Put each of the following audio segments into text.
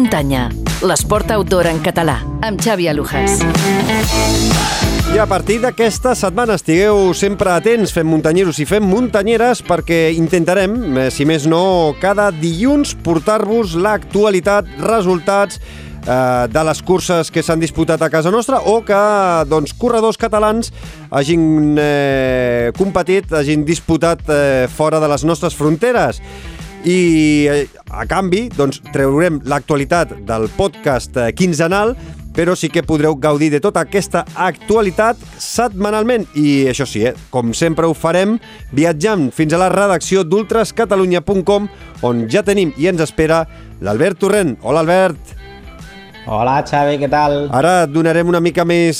muntanya. L'esport outdoor en català, amb Xavi Alujas. I a partir d'aquesta setmana estigueu sempre atents, fem muntanyeros i fem muntanyeres, perquè intentarem, si més no, cada dilluns portar-vos l'actualitat, resultats de les curses que s'han disputat a casa nostra o que corredors catalans hagin competit, hagin disputat fora de les nostres fronteres. I a canvi traurem l'actualitat del podcast quinzenal, però sí que podreu gaudir de tota aquesta actualitat setmanalment. I això sí, com sempre ho farem viatjant fins a la redacció d'ultrascatalunya.com, on ja tenim i ens espera l'Albert Torrent. Hola, Albert. Hola, Xavi, què tal? Ara et donarem una mica més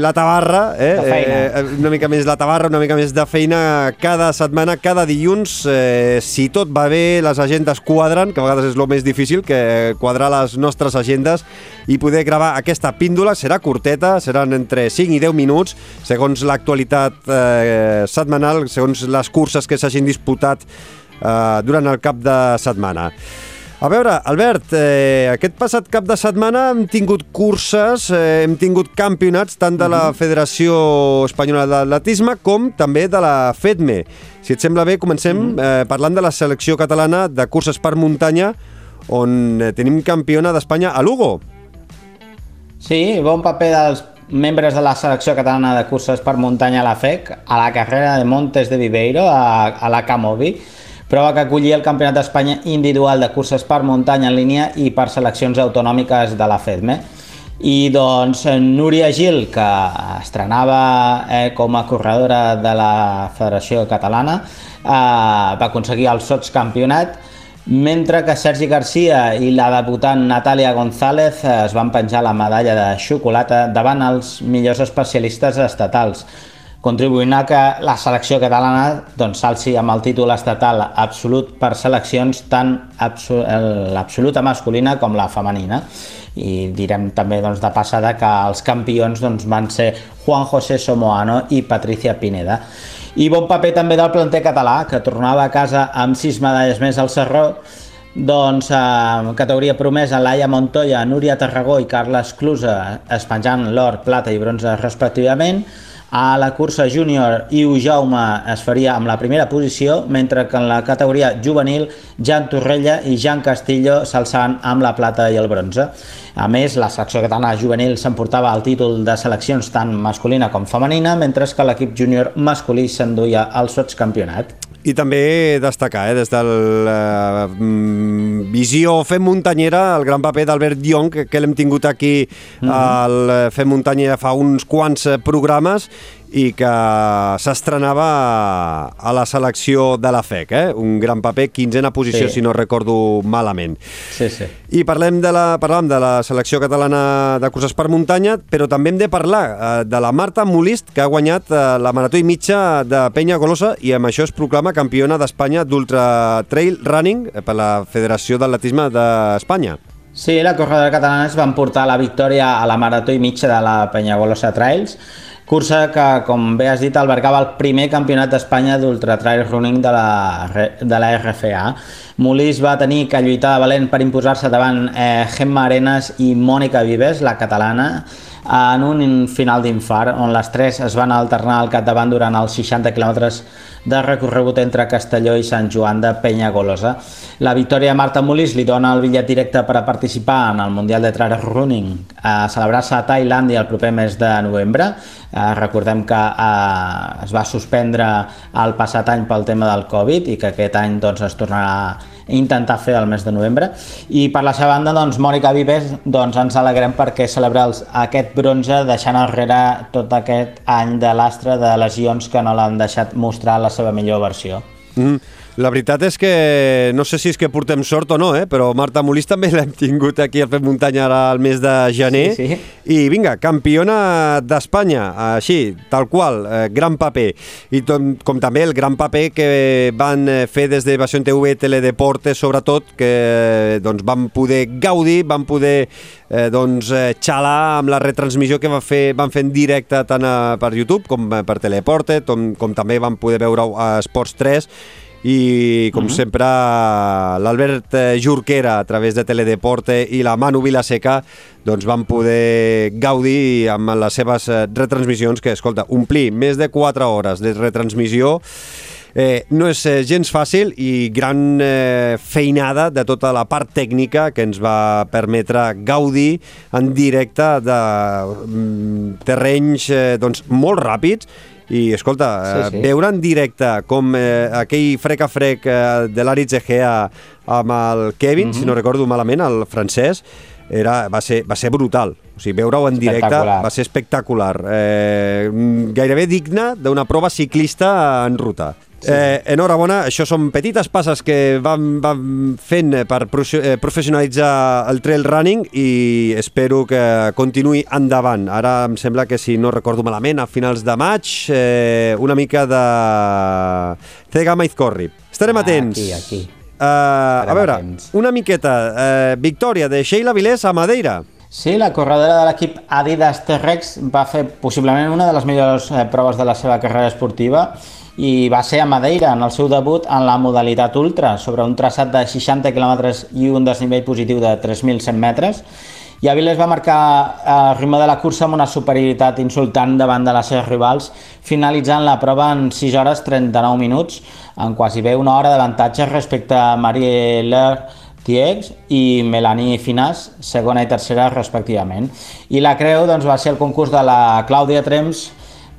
la tabarra, de feina. Una mica més la tabarra, una mica més de feina cada setmana, cada dilluns. Si tot va bé, les agendes quadren, que a vegades és el més difícil, que quadrar les nostres agendes i poder gravar aquesta píndola. Serà curteta, seran entre 5 i 10 minuts, segons l'actualitat setmanal, segons les curses que s'hagin disputat durant el cap de setmana. A veure, Albert, aquest passat cap de setmana hem tingut curses, hem tingut campionats tant de la Federació Espanyola d'Atletisme com també de la FEDME. Si et sembla bé, comencem parlant de la selecció catalana de curses per muntanya, on tenim campiona d'Espanya a Lugo. Sí, bon paper dels membres de la selecció catalana de curses per muntanya a la FEC, a la carrera de Montes de Viveiro, a la Camobi, prova que acollia el Campionat d'Espanya individual de curses per muntanya en línia i per seleccions autonòmiques de la FEDME. I doncs Núria Gil, que estrenava com a corredora de la Federació Catalana, va aconseguir el sotscampionat, mentre que Sergi Garcia i la debutant Natàlia González es van penjar la medalla de xocolata davant els millors especialistes estatals, contribuint a que la selecció catalana s'alci amb el títol estatal absolut per seleccions tant l'absoluta masculina com la femenina. I direm també de passada que els campions van ser Juan José Somoano i Patricia Pineda. I bon paper també del planter català, que tornava a casa amb 6 medalles més al Sarró, categoria promesa Laia Montoya, Núria Tarragó i Carles Clusa es penjant l'or, plata i bronze respectivament. A la cursa júnior, Iu Jaume es faria amb la primera posició, mentre que en la categoria juvenil, Jan Torrella i Jan Castillo s'alçaven amb la plata i el bronze. A més, la selecció catalana juvenil s'emportava el títol de seleccions tant masculina com femenina, mentre que l'equip júnior masculí s'enduia el sotscampionat. I també destacar, des de la visió Fem Muntanyera, el gran paper d'Albert Dion, que l'hem tingut aquí al Fem Muntanyera fa uns quants programes, i que s'estrenava a la selecció de la FEC, un gran paper, 15a posició, si no recordo malament. Sí. I parlàvem de la selecció catalana de curses per muntanya, però també hem de parlar de la Marta Molist, que ha guanyat la marató i mitja de Penyagolosa i amb això es proclama campiona d'Espanya d'Ultra Trail Running per la Federació d'Atletisme d'Espanya. Sí, la corredora catalana es va emportar la victòria a la marató i mitja de la Penyagolosa Trails, cursa que, com bé has dit, albergava el primer campionat d'Espanya d'Ultra Trail Running de la RFA. Molist va tenir que lluitar de valent per imposar-se davant Gemma Arenas i Mònica Vives, la catalana, en un final d'infart, on les tres es van alternar al capdavant durant els 60 quilòmetres de recorregut entre Castelló i Sant Joan de Penyagolosa. La victòria de Marta Molist li dona el bitllet directe per a participar en el Mundial de Trail Running a celebrar-se a Tailàndia el proper mes de novembre. Recordem que es va suspendre el passat any pel tema del Covid i que aquest any es tornarà a intentar fer el mes de novembre. I per la seva banda, Mònica Vives, ens alegrem perquè celebra aquest bronze deixant enrere tot aquest any de lastre de lesions que no l'han deixat mostrar la seva millor versió. La veritat és que no sé si és que portem sort o no, però Marta Molist també l'hem tingut aquí al Fem Muntanya ara al mes de gener. Sí. I vinga, campiona d'Espanya, així, tal qual, gran paper. I com també el gran paper que van fer des de Pasión TV, Teledeporte, sobretot, que van poder gaudir, van poder xalar amb la retransmissió que van fer en directe tant per YouTube com per Teledeporte, com també van poder veure a Esports 3, i, com sempre, l'Albert Jorquera, a través de Teledeporte, i la Manu Vilaseca, doncs van poder gaudir amb les seves retransmissions, que, escolta, omplir més de 4 hores de retransmissió no és gens fàcil, i gran feinada de tota la part tècnica que ens va permetre gaudir en directe de terrenys doncs, molt ràpids. I, escolta, veure en directe com aquell frec a frec de l'Aritz Egea amb el Kevin, si no recordo malament, el francès, va ser brutal. O sigui, veure-ho en directe va ser espectacular. Gairebé digne d'una prova ciclista en ruta. Enhorabona, això són petites passes que van fent per professionalitzar el trail running, i espero que continuï endavant. Ara em sembla que, si no recordo malament, a finals de maig, una mica de Cegama Izcorri. Estarem atents. Aquí. A veure, una miqueta, victòria de Sheila Vilés a Madeira. Sí, la corredora de l'equip Adidas T-Rex va fer possiblement una de les millors proves de la seva carrera esportiva, i va ser a Madeira en el seu debut en la modalitat ultra, sobre un traçat de 60 quilòmetres i un desnivell positiu de 3.100 metres. I Avilés va marcar el ritme de la cursa amb una superioritat insultant davant de les seves rivals, finalitzant la prova en 6 hores 39 minuts, en quasi bé una hora d'avantatge respecte a Marie-Laure Tiex i Melanie Finas, segona i tercera respectivament. I la creu doncs, va ser el concurs de la Clàudia Trems,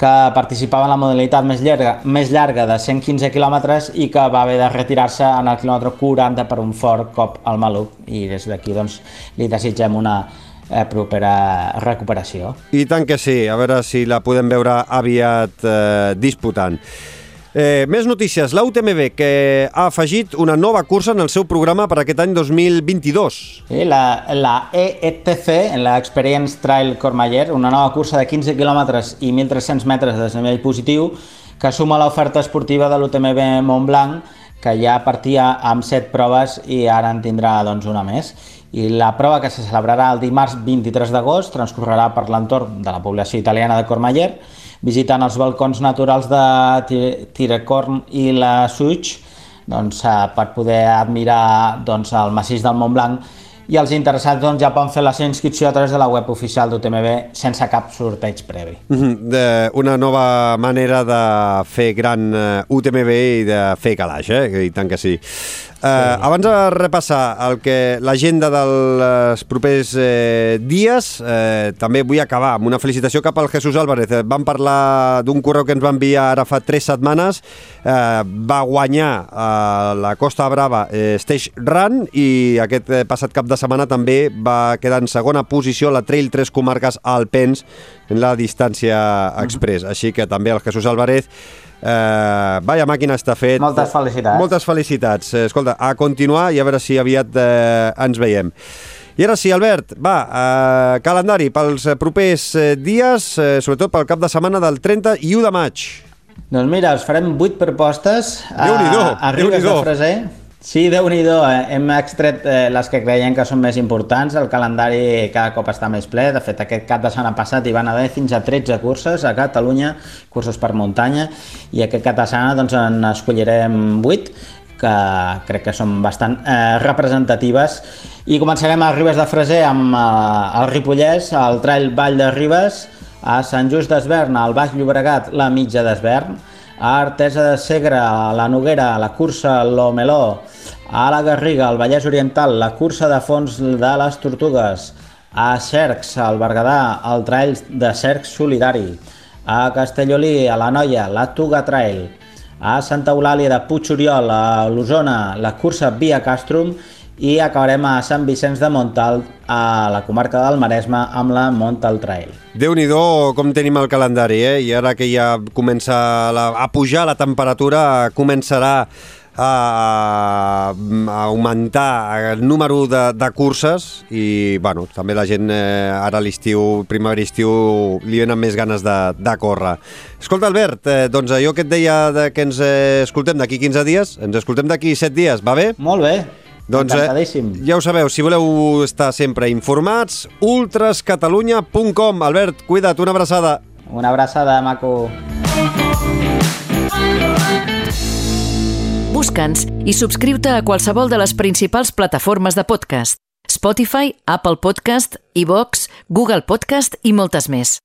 que participava en la modalitat més llarga de 115 quilòmetres i que va haver de retirar-se en el quilòmetre 40 per un fort cop al maluc, i des d'aquí doncs, li desitgem una propera recuperació. I tant que sí, a veure si la podem veure aviat disputant. Més notícies. La UTMB, que ha afegit una nova cursa en el seu programa per aquest any 2022. Sí, la EETC, l'Experience Trail Courmayeur, una nova cursa de 15 quilòmetres i 1.300 metres de desnivell positiu, que suma l'oferta esportiva de l'UTMB Montblanc, que ja partia amb 7 proves i ara en tindrà doncs, una més. I la prova, que se celebrarà el dimarts 23 d'agost, transcorrerà per l'entorn de la població italiana de Courmayeur, visitant els balcons naturals de Tirecorn i la Suig, doncs, per poder admirar doncs, el massís del Montblanc, i els interessats doncs, ja poden fer la seva inscripció a través de la web oficial d'UTMB sense cap sorteig previ. Una nova manera de fer gran UTMB i de fer calaix, i tant que sí. Abans de repassar l'agenda dels propers dies, també vull acabar amb una felicitació cap al Jesús Álvarez. Vam parlar d'un correu que ens va enviar ara fa 3 setmanes. Va guanyar la Costa Brava Stage Run, i aquest passat cap de setmana també va quedar en segona posició a la Trail 3 Comarques Alpens en la distància express. Així que també el Jesús Álvarez, vaya màquina està fet. Moltes felicitats. Moltes felicitats. Escolta, a continuar, i a veure si aviat ens veiem. I ara sí, Albert, va, calendari pels propers dies, sobretot pel cap de setmana del 30 i 1 de maig. Doncs mira, us farem 8 propostes a Ribes de Freser. Sí, Déu-n'hi-do, hem extret les que creiem que són més importants. El calendari cada cop està més ple. De fet, aquest cap de setmana passat hi van haver fins a 13 curses a Catalunya, curses per muntanya, i aquest cap de setmana doncs, en escollirem 8, que crec que són bastant representatives. I començarem a Ribes de Freser amb el Ripollès, el Trail Vall de Ribes, a Sant Just d'Esvern, al Baix Llobregat, la Mitja d'Esvern, a Artesa de Segre, a la Noguera, la cursa l'Omeló, a la Garriga, al Vallès Oriental, la cursa de fons de les Tortugues, a Cercs, al Berguedà, el Trail de Cercs Solidari, a Castellolí, a la Noia, la Tuga Trail, a Santa Eulàlia de Puig-Oriol, a l'Osona, la cursa Via Castrum, i acabarem a Sant Vicenç de Montalt, a la comarca del Maresme, amb la Montalt Trail. Déu-n'hi-do com tenim el calendari, i ara que ja comença a pujar la temperatura, començarà a augmentar el número de curses, i bueno, també la gent ara a l'estiu, primavera-estiu, li venen més ganes de córrer. Escolta, Albert, doncs allò que et deia que ens escoltem d'aquí 15 dies, ens escoltem d'aquí 7 dies, va bé? Molt bé. Doncs ja ho sabeu, si voleu estar sempre informats, ultrascatalunya.com. Albert, cuida't, una abraçada. Una abraçada, maco. Busca'ns i subscriu-te a qualsevol de les principals plataformes de podcast: Spotify, Apple Podcast, iVoox, Google Podcast i moltes més.